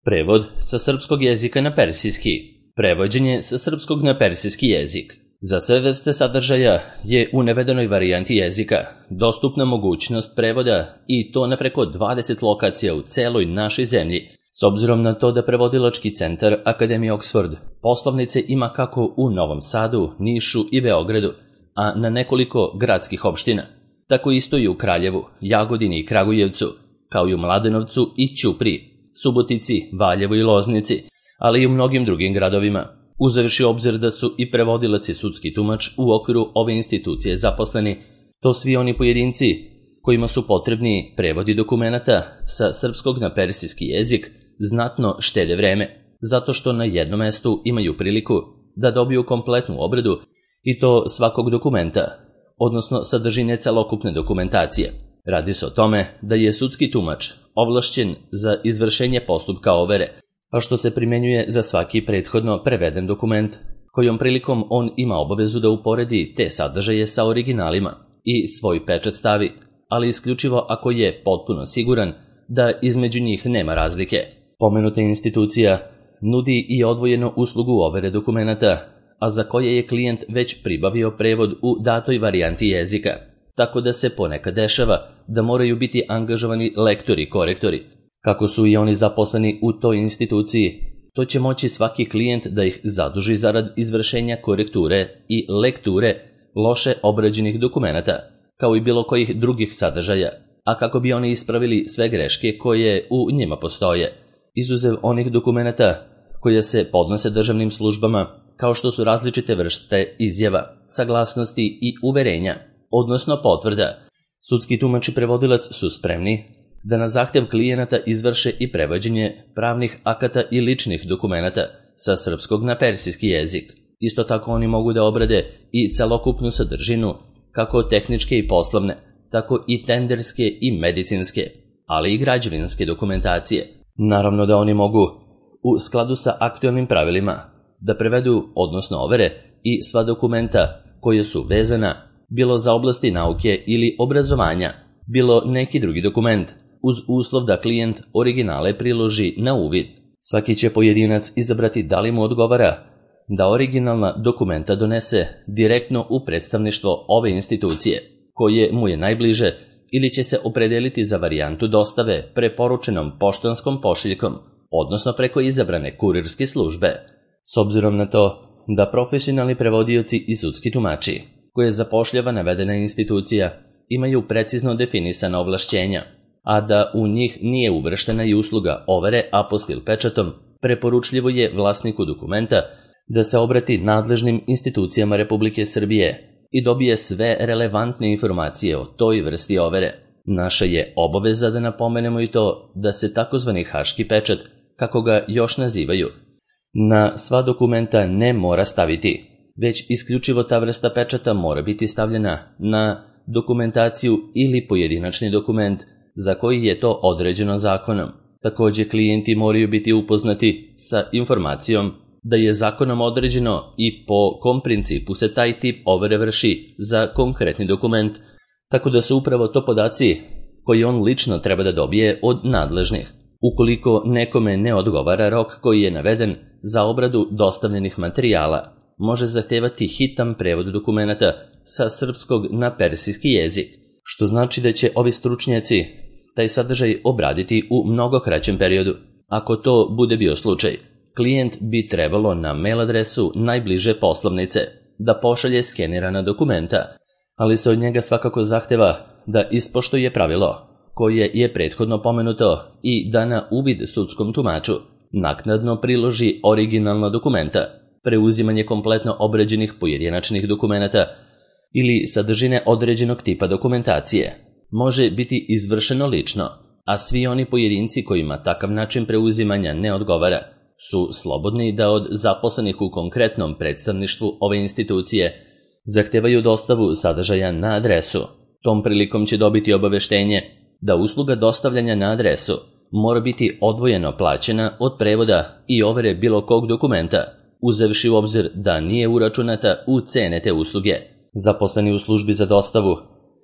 Prevod sa srpskog jezika na persijski. Prevođenje sa srpskog na persijski jezik. Za sve vrste sadržaja je u navedenoj varijanti jezika dostupna mogućnost prevoda i to na preko 20 lokacija u celoj našoj zemlji. S obzirom na to da prevodilački centar Akademije Oxford poslovnice ima kako u Novom Sadu, Nišu i Beogradu, a na nekoliko gradskih opština, tako isto i u Kraljevu, Jagodini i Kragujevcu, kao i u Mladenovcu i Ćupriji, Subotici, Valjevu i Loznici, ali i u mnogim drugim gradovima. Uzevši obzir da su i prevodilac i sudski tumač u okviru ove institucije zaposleni, to svi oni pojedinci kojima su potrebni prevodi dokumenata sa srpskog na persijski jezik znatno štede vreme, zato što na jednom mestu imaju priliku da dobiju kompletnu obradu i to svakog dokumenta, odnosno sadržine celokupne dokumentacije. Radi se o tome da je sudski tumač ovlašćen za izvršenje postupka overe, a što se primenjuje za svaki prethodno preveden dokument, kojom prilikom on ima obavezu da uporedi te sadržaje sa originalima i svoj pečat stavi, ali isključivo ako je potpuno siguran da između njih nema razlike. Pomenuta institucija nudi i odvojenu uslugu overe dokumenata, a za koje je klijent već pribavio prevod u datoj varijanti jezika, tako da se ponekad dešava da moraju biti angažovani lektori i korektori. Kako su i oni zaposleni u toj instituciji, to će moći svaki klijent da ih zaduži zarad izvršenja korekture i lekture loše obrađenih dokumenata, kao i bilo kojih drugih sadržaja, a kako bi oni ispravili sve greške koje u njima postoje, izuzev onih dokumenata koje se podnose državnim službama, kao što su različite vrste izjava, saglasnosti i uverenja, odnosno potvrda. Sudski tumač i prevodilac su spremni da na zahtev klijenata izvrše i prevođenje pravnih akata i ličnih dokumenata sa srpskog na persijski jezik. Isto tako oni mogu da obrade i celokupnu sadržinu, kako tehničke i poslovne, tako i tenderske i medicinske, ali i građevinske dokumentacije. Naravno da oni mogu, u skladu sa aktualnim pravilima, da prevedu, odnosno overe, i sva dokumenta koje su vezana, bilo za oblasti nauke ili obrazovanja, bilo neki drugi dokument, uz uslov da klijent originale priloži na uvid. Svaki će pojedinac izabrati da li mu odgovara da originalna dokumenta donese direktno u predstavništvo ove institucije, koje mu je najbliže, ili će se opredeliti za varijantu dostave preporučenom poštanskom pošiljkom, odnosno preko izabrane kurirske službe. S obzirom na to da profesionalni prevodioci i sudski tumači, koje zapošljava navedena institucija, imaju precizno definisana ovlašćenja, a da u njih nije uvrštena i usluga overe apostil pečatom, preporučljivo je vlasniku dokumenta da se obrati nadležnim institucijama Republike Srbije i dobije sve relevantne informacije o toj vrsti overe. Naša je obaveza da napomenemo i to da se takozvani haški pečat, kako ga još nazivaju, na sva dokumenta ne mora staviti, već isključivo ta vrsta pečata mora biti stavljena na dokumentaciju ili pojedinačni dokument za koji je to određeno zakonom. Također klijenti moraju biti upoznati sa informacijom da je zakonom određeno i po kom principu se taj tip overe vrši za konkretni dokument, tako da su upravo to podaci koji on lično treba da dobije od nadležnih. Ukoliko nekome ne odgovara rok koji je naveden za obradu dostavljenih materijala, može zahtevati hitan prevod dokumenata sa srpskog na persijski jezik, što znači da će ovi stručnjaci taj sadržaj obraditi u mnogo kraćem periodu. Ako to bude bio slučaj, klijent bi trebalo na mail adresu najbliže poslovnice da pošalje skenirana dokumenta, ali se od njega svakako zahteva da ispoštuje pravilo koje je prethodno pomenuto i da na uvid sudskom tumaču naknadno priloži originalna dokumenta, preuzimanje kompletno obrađenih pojedinačnih dokumenata ili sadržine određenog tipa dokumentacije može biti izvršeno lično, a svi oni pojedinci kojima takav način preuzimanja ne odgovara su slobodni da od zaposlenih u konkretnom predstavništvu ove institucije zahtevaju dostavu sadržaja na adresu. Tom prilikom će dobiti obaveštenje da usluga dostavljanja na adresu mora biti odvojeno plaćena od prevoda i overe bilo kog dokumenta, uzevši u obzir da nije uračunata u cene te usluge. Zaposleni u službi za dostavu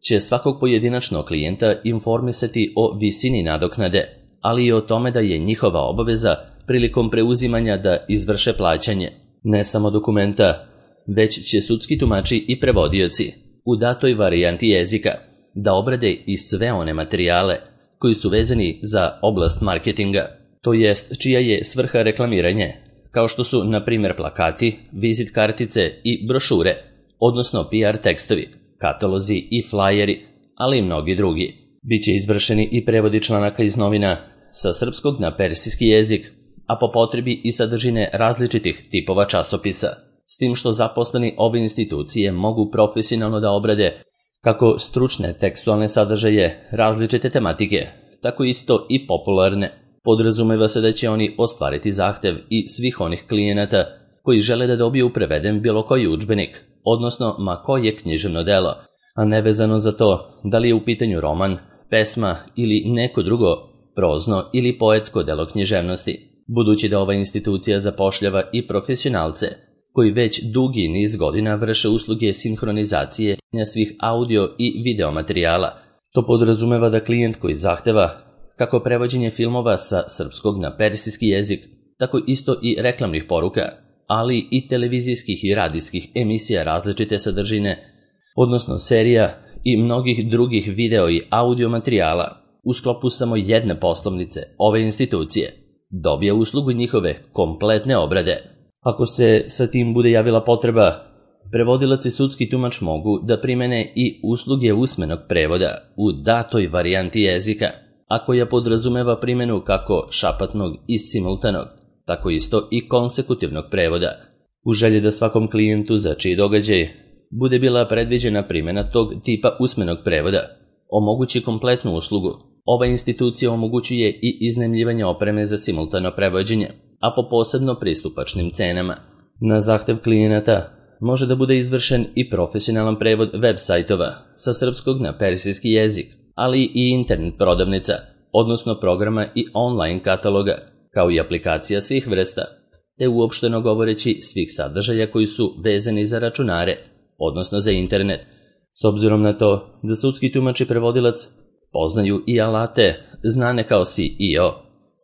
će svakog pojedinačnog klijenta informisati o visini nadoknade, ali i o tome da je njihova obaveza prilikom preuzimanja da izvrše plaćanje. Ne samo dokumenta, već će sudski tumači i prevodioci u datoj varijanti jezika da obrade i sve one materijale koji su vezani za oblast marketinga, to jest čija je svrha reklamiranje, kao što su, na primjer, plakati, vizit kartice i brošure, odnosno PR tekstovi, katalozi i flajeri, ali i mnogi drugi. Biće izvršeni i prevodi članaka iz novina sa srpskog na persijski jezik, a po potrebi i sadržine različitih tipova časopisa, s tim što zaposleni ove institucije mogu profesionalno da obrade kako stručne tekstualne sadržaje različite tematike, tako isto i popularne. Podrazumeva se da će oni ostvariti zahtev i svih onih klijenata koji žele da dobiju preveden bilo koji udžbenik, odnosno ma koje književno delo, a nevezano za to da li je u pitanju roman, pesma ili neko drugo prozno ili poetsko delo književnosti. Budući da ova institucija zapošljava i profesionalce koji već dugi niz godina vrše usluge sinhronizacije svih audio i video materijala. To podrazumeva da klijent koji zahteva kako prevođenje filmova sa srpskog na persijski jezik, tako isto i reklamnih poruka, ali i televizijskih i radijskih emisija različite sadržine, odnosno serija i mnogih drugih video i audio materijala u sklopu samo jedne poslovnice ove institucije, dobija uslugu njihove kompletne obrade. Ako se sa tim bude javila potreba, prevodilac i sudski tumač mogu da primene i usluge usmenog prevoda u datoj varijanti jezika, a koja podrazumeva primenu kako šapatnog i simultanog, tako isto i konsekutivnog prevoda. U želji da svakom klijentu za čiji događaj bude bila predviđena primjena tog tipa usmenog prevoda omogući kompletnu uslugu, ova institucija omogućuje i iznajmljivanje opreme za simultano prevođenje, a po posebno pristupačnim cenama. Na zahtev klijenata može da bude izvršen i profesionalan prevod web sajtova sa srpskog na persijski jezik, ali i internet prodavnica, odnosno programa i online kataloga, kao i aplikacija svih vrsta, te uopšteno govoreći svih sadržaja koji su vezani za računare, odnosno za internet. S obzirom na to da sudski tumač i prevodilac poznaju i alate znane kao SEO,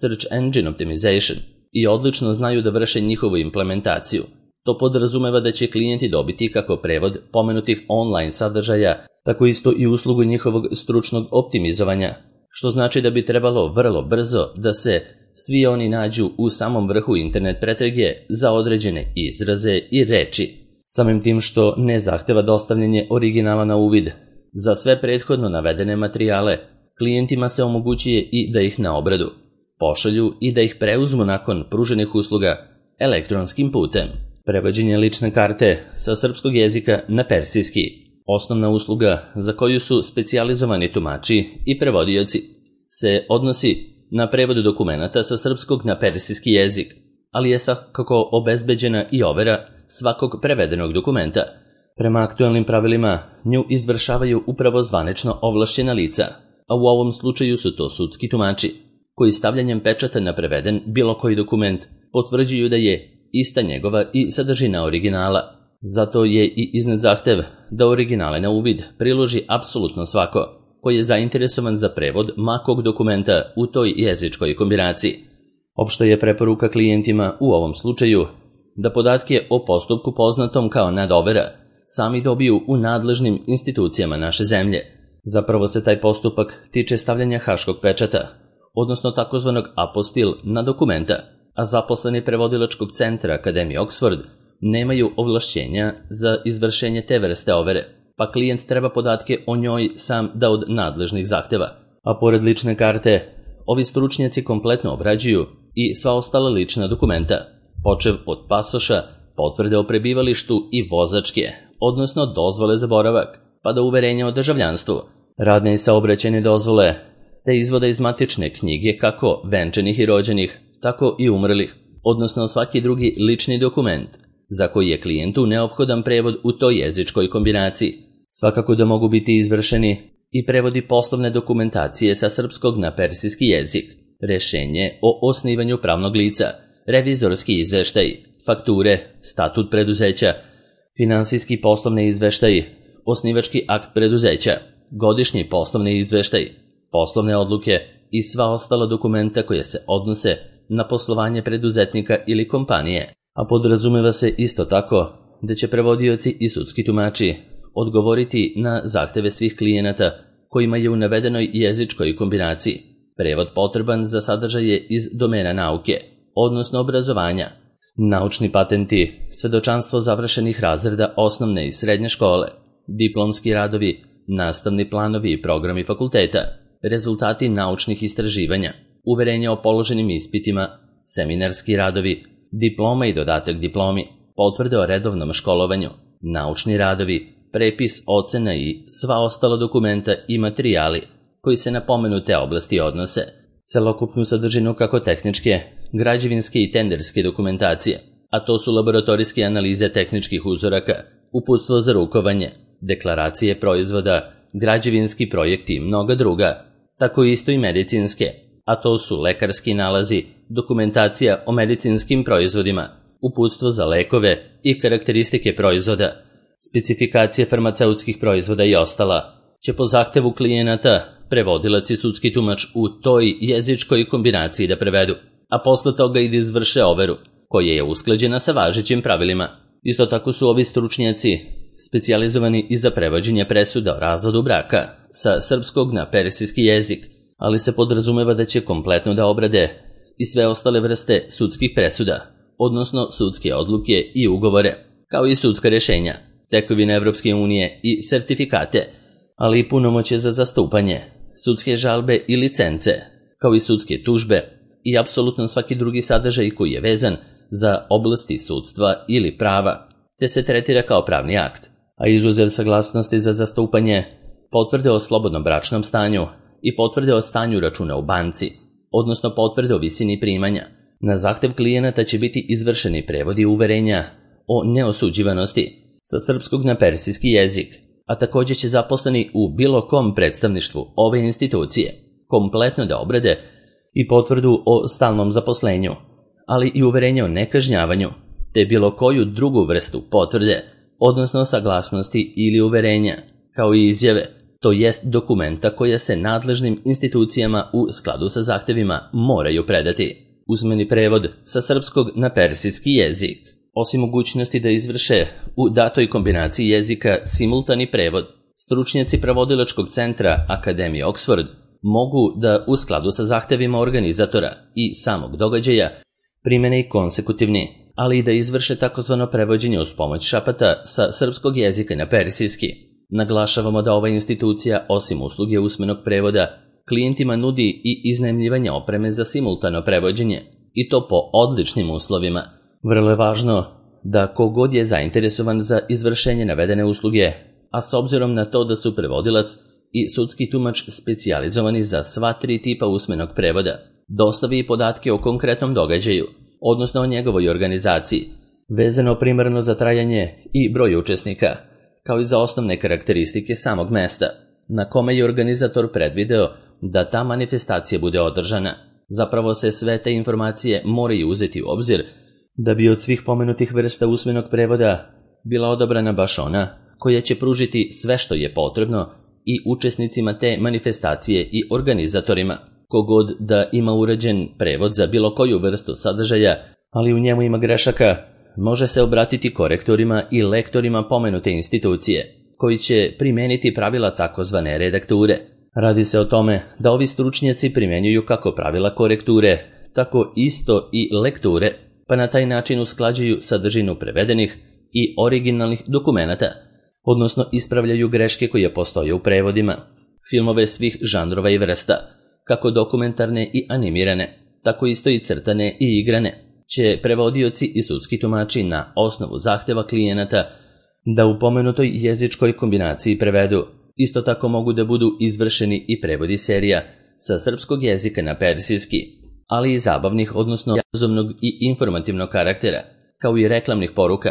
Search Engine Optimization, i odlično znaju da vrše njihovu implementaciju. To podrazumeva da će klijenti dobiti kako prevod pomenutih online sadržaja, tako isto i uslugu njihovog stručnog optimizovanja, što znači da bi trebalo vrlo brzo da se svi oni nađu u samom vrhu internet pretrage za određene izraze i reči, samim tim što ne zahteva dostavljanje originala na uvid. Za sve prethodno navedene materijale klijentima se omogućuje i da ih na obradu pošalju i da ih preuzmu nakon pruženih usluga elektronskim putem. Prevođenje lične karte sa srpskog jezika na persijski, osnovna usluga za koju su specijalizovani tumači i prevodioci, se odnosi na prevod dokumenata sa srpskog na persijski jezik, ali je svakako obezbeđena i overa svakog prevedenog dokumenta. Prema aktualnim pravilima nju izvršavaju upravo zvanično ovlašćena lica, a u ovom slučaju su to sudski tumači, koji stavljanjem pečata na preveden bilo koji dokument potvrđuju da je ista njegova i sadržina originala. Zato je i iznad zahtev da originale na uvid priloži apsolutno svako koji je zainteresovan za prevod makog dokumenta u toj jezičkoj kombinaciji. Opšta je preporuka klijentima u ovom slučaju da podatke o postupku poznatom kao nadovera sami dobiju u nadležnim institucijama naše zemlje. Zapravo se taj postupak tiče stavljanja haškog pečata, odnosno takozvanog apostil na dokumenta, a zaposleni prevodilačkog centra Akademije Oxford nemaju ovlašćenja za izvršenje te vrste overe, pa klijent treba podatke o njoj sam da od nadležnih zahteva. A pored lične karte, ovi stručnjaci kompletno obrađuju i sva ostala lična dokumenta, počev od pasoša, potvrde o prebivalištu i vozačke, odnosno dozvole za boravak, pa do uverenja o državljanstvu, radne i saobraćajne dozvole, te izvoda iz matične knjige kako venčanih i rođenih, tako i umrlih, odnosno svaki drugi lični dokument za koji je klijentu neophodan prevod u toj jezičkoj kombinaciji. Svakako da mogu biti izvršeni i prevodi poslovne dokumentacije sa srpskog na persijski jezik, rešenje o osnivanju pravnog lica, revizorski izveštaj, fakture, statut preduzeća, finansijski poslovni izveštaj, osnivački akt preduzeća, godišnji poslovni izveštaj, poslovne odluke i sva ostala dokumenta koja se odnose na poslovanje preduzetnika ili kompanije, a podrazumeva se isto tako da će prevodioci i sudski tumači odgovoriti na zahteve svih klijenata kojima je u navedenoj jezičkoj kombinaciji prevod potreban za sadržaje iz domena nauke, odnosno obrazovanja, naučni patenti, svedočanstvo završenih razreda osnovne i srednje škole, diplomski radovi, nastavni planovi i programi fakulteta, rezultati naučnih istraživanja, uverenja o položenim ispitima, seminarski radovi, diploma i dodatak diplomi, potvrde o redovnom školovanju, naučni radovi, prepis, ocena i sva ostala dokumenta i materijali koji se na pomenute oblasti odnose, celokupnu sadržinu kako tehničke, građevinske i tenderske dokumentacije, a to su laboratorijske analize tehničkih uzoraka, uputstvo za rukovanje, deklaracije proizvoda, građevinski projekti i mnoga druga, tako isto i medicinske, a to su lekarski nalazi, dokumentacija o medicinskim proizvodima, uputstvo za lekove i karakteristike proizvoda, specifikacije farmaceutskih proizvoda i ostala, će po zahtevu klijenata prevodilac i sudski tumač u toj jezičkoj kombinaciji da prevedu, a posle toga i da izvrše overu, koja je usklađena sa važećim pravilima. Isto tako su ovi stručnjaci specijalizovani i za prevođenje presuda o razvodu braka sa srpskog na persijski jezik, ali se podrazumeva da će kompletno da obrade i sve ostale vrste sudskih presuda, odnosno sudske odluke i ugovore, kao i sudska rješenja, tekovine Evropske unije i sertifikate, ali i punomoćje za zastupanje, sudske žalbe i licence, kao i sudske tužbe i apsolutno svaki drugi sadržaj koji je vezan za oblasti sudstva ili prava, te se tretira kao pravni akt, a izuzev saglasnosti za zastupanje, potvrde o slobodnom bračnom stanju i potvrde o stanju računa u banci, odnosno potvrde o visini primanja. Na zahtev klijenata će biti izvršeni prevodi uverenja o neosuđivanosti sa srpskog na persijski jezik, a također će zaposleni u bilo kom predstavništvu ove institucije kompletno da obrade i potvrdu o stalnom zaposlenju, ali i uverenje o nekažnjavanju, te bilo koju drugu vrstu potvrde, odnosno saglasnosti ili uverenja, kao i izjave, to jest dokumenta koja se nadležnim institucijama u skladu sa zahtevima moraju predati. Usmeni prevod sa srpskog na persijski jezik. Osim mogućnosti da izvrše u datoj kombinaciji jezika simultani prevod, stručnjaci prevodilačkog centra Akademije Oxford mogu da u skladu sa zahtevima organizatora i samog događaja primene i konsekutivni, ali i da izvrše takozvano prevođenje uz pomoć šapata sa srpskog jezika na persijski. Naglašavamo da ova institucija, osim usluge usmenog prevoda, klijentima nudi i iznajmljivanje opreme za simultano prevođenje, i to po odličnim uslovima. Vrlo je važno da kogod je zainteresovan za izvršenje navedene usluge, a s obzirom na to da su prevodilac i sudski tumač specijalizovani za sva tri tipa usmenog prevoda, dostavi i podatke o konkretnom događaju, odnosno o njegovoj organizaciji, vezano primarno za trajanje i broj učesnika, kao i za osnovne karakteristike samog mesta, na kome je organizator predvideo da ta manifestacija bude održana. Zapravo se sve te informacije moraju uzeti u obzir da bi od svih pomenutih vrsta usmenog prevoda bila odabrana baš ona koja će pružiti sve što je potrebno i učesnicima te manifestacije i organizatorima. Kogod da ima uređen prevod za bilo koju vrstu sadržaja, ali u njemu ima grešaka, može se obratiti korektorima i lektorima pomenute institucije, koji će primeniti pravila takozvane redakture. Radi se o tome da ovi stručnjaci primjenjuju kako pravila korekture, tako isto i lekture, pa na taj način usklađuju sadržinu prevedenih i originalnih dokumenata, odnosno ispravljaju greške koje postoje u prevodima. Filmove svih žanrova i vrsta, kako dokumentarne i animirane, tako isto i crtane i igrane, će prevodioci i sudski tumači na osnovu zahteva klijenata da u pomenutoj jezičkoj kombinaciji prevedu. Isto tako mogu da budu izvršeni i prevodi serija sa srpskog jezika na persijski, ali i zabavnih, odnosno jazovnog i informativnog karaktera, kao i reklamnih poruka,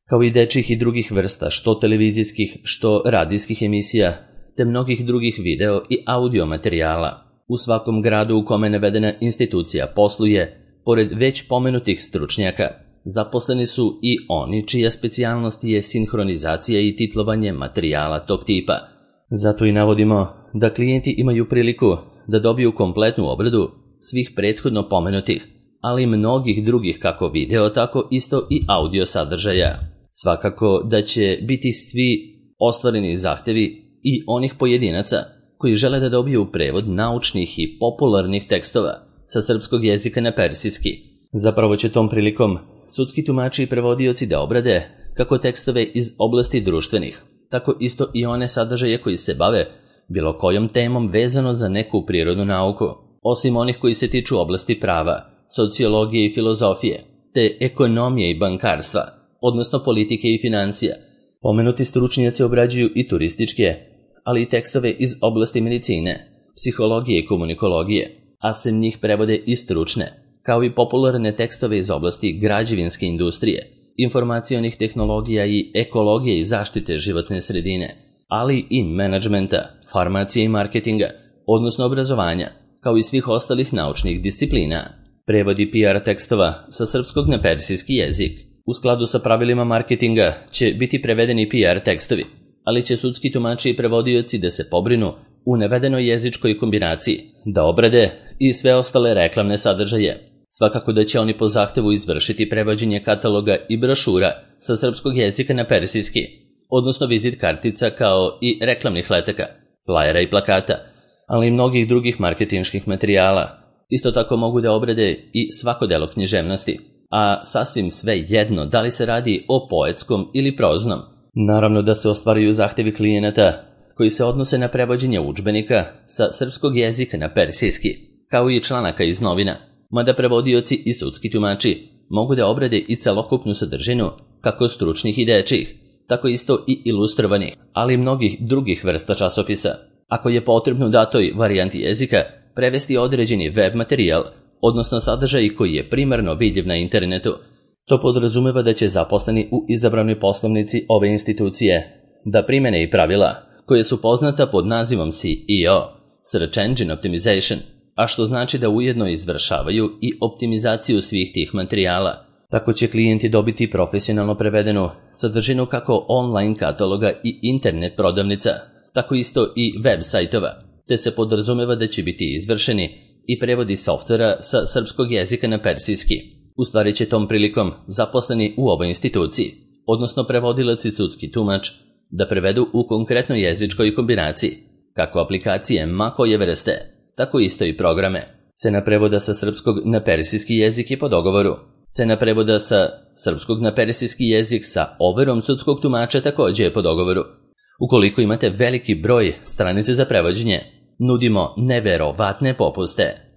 kao i dečjih i drugih vrsta, što televizijskih, što radijskih emisija, te mnogih drugih video i audio materijala. U svakom gradu u kome navedena institucija posluje, pored već pomenutih stručnjaka, zaposleni su i oni čija specijalnost je sinhronizacija i titlovanje materijala tog tipa. Zato i navodimo da klijenti imaju priliku da dobiju kompletnu obradu svih prethodno pomenutih, ali i mnogih drugih kako video, tako isto i audio sadržaja. Svakako da će biti svi ostvareni zahtevi i onih pojedinaca koji žele da dobiju prevod naučnih i popularnih tekstova sa srpskog jezika na persijski. Zapravo će tom prilikom sudski tumači i prevodioci da obrade kako tekstove iz oblasti društvenih, tako isto i one sadržaje koji se bave bilo kojom temom vezano za neku prirodnu nauku, osim onih koji se tiču oblasti prava, sociologije i filozofije, te ekonomije i bankarstva, odnosno politike i financija. Pomenuti stručnjaci obrađuju i turističke, ali i tekstove iz oblasti medicine, psihologije i komunikologije, a sem njih prevode i stručne, kao i popularne tekstove iz oblasti građevinske industrije, informacionih tehnologija i ekologije i zaštite životne sredine, ali i menadžmenta, farmacije i marketinga, odnosno obrazovanja, kao i svih ostalih naučnih disciplina. Prevodi PR tekstova sa srpskog na persijski jezik. U skladu sa pravilima marketinga će biti prevedeni PR tekstovi, ali će sudski tumači i prevodioci da se pobrinu u navedenoj jezičkoj kombinaciji, da obrade i sve ostale reklamne sadržaje. Svakako da će oni po zahtevu izvršiti prevođenje kataloga i brošura sa srpskog jezika na persijski, odnosno vizit kartica kao i reklamnih letaka, flajera i plakata, ali i mnogih drugih marketinških materijala. Isto tako mogu da obrade i svako delo književnosti, a sasvim sve jedno da li se radi o poetskom ili proznom. Naravno da se ostvaruju zahtevi klijenata koji se odnose na prevođenje udžbenika sa srpskog jezika na persijski, kao i članaka iz novina, mada prevodioci i sudski tumači mogu da obrade i celokupnu sadržinu kako stručnih i dečjih, tako isto i ilustrovanih, ali i mnogih drugih vrsta časopisa. Ako je potrebno u datoj varijanti jezika prevesti određeni web materijal, odnosno sadržaj koji je primarno vidljiv na internetu, to podrazumeva da će zaposleni u izabranoj poslovnici ove institucije da primene i pravila koje su poznata pod nazivom SEO, Search Engine Optimization, a što znači da ujedno izvršavaju i optimizaciju svih tih materijala. Tako će klijenti dobiti profesionalno prevedenu sadržinu kako online kataloga i internet prodavnica, tako isto i web sajtova, te se podrazumeva da će biti izvršeni i prevodi softvera sa srpskog jezika na persijski. U stvari će tom prilikom zaposleni u ovoj instituciji, odnosno prevodilac i sudski tumač, da prevedu u konkretnoj jezičkoj kombinaciji, kako aplikacije ma koje vrste, tako isto i programe. Cena prevoda sa srpskog na persijski jezik je po dogovoru. Cena prevoda sa srpskog na persijski jezik sa overom sudskog tumača također je po dogovoru. Ukoliko imate veliki broj stranice za prevođenje, nudimo neverovatne popuste.